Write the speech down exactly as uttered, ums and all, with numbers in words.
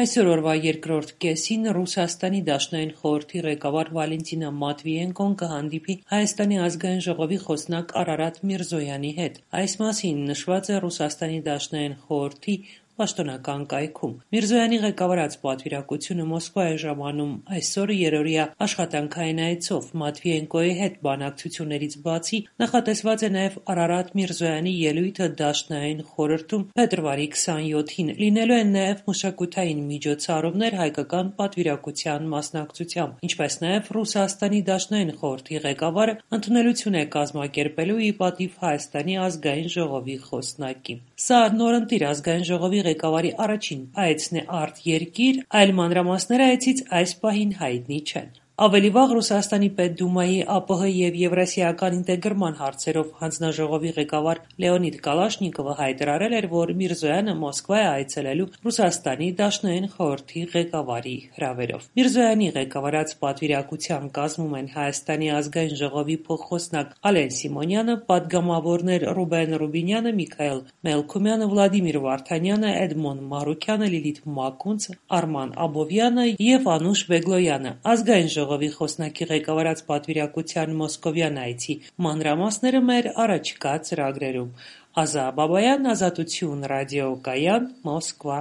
Այսօր օրվա երկրորդ կեսին Ռուսաստանի Դաշնային խորհրդի ղեկավար Վալենտինա Մատվիենկոն կհանդիպի Հայաստանի ազգային ժողովի խոսնակ Արարատ Միրզոյանի հետ։ Այս մասին նշված է Ռուսաստանի Դաշնային խորհրդի պաշտոնական կայքում։ Միրզոյանի ղեկավարած պատվիրակությունը Մոսկվա է ժամանում այսօր երօրյա աշխատանքային այցով։ Մատվիենկոյի հետ բանակցություններից բացի նախատեսված է նաև Արարատ Միրզոյանի ելույթը Դաշնային խորհրդում փետրվարի քսանյոթին։ Լինելու են նաև մշակութային միջոցառումներ հայկական պատվիրակության մասնակցությամբ, ինչպես նաև Ռուսաստանի Դաշնային խորհրդի ղեկավարը ընդունելություն է կազմակերպելու ի պատիվ Հայաստանի ազգային ժողովի խոսնակի։ Սա նորընտիր ազգային ժողովի ղեկավարի առաջին այցն է արտերկիր, այլ մանրամասները այցից այս պահին հայտնի չեն։ Ավելի վաղ Ռուսաստանի Պետդումայի ԱՊՀ և Եվրասիական ինտեգրման հարցերով հանձնաժողովի ղեկավար Լեոնիդ Կալաշնիկովը հայտարարել էր, որ Միրզոյանը Մոսկվա է այցելելու Ռուսաստանի Դաշնային խորհրդի ղեկավարի հրավերով։ Միրզոյանի ղեկավարած պատվիրակության կազմում են Հայաստանի ազգային ժողովի փոխխոսնակ Ալեն Սիմոնյանը, պատգամավորներ Ռուբեն Ռուբինյանը, Միքայել Մելքումյանը, Վլադիմիր Վարդանյանը, Էդմոն Մարուկյանը, Լիլիթ Մակունցը, Արման Աբովյանը և Անուշ Բեգլոյանը։ Ազգային ժողովի խոսնակի ղեկավարած պատվիրակության մոսկովյան այցի մանրամասները մեր առաջիկա ծրագրերում։ Ազա Բաբայան, Ազատություն ռադիոկայան, Մոսկվա։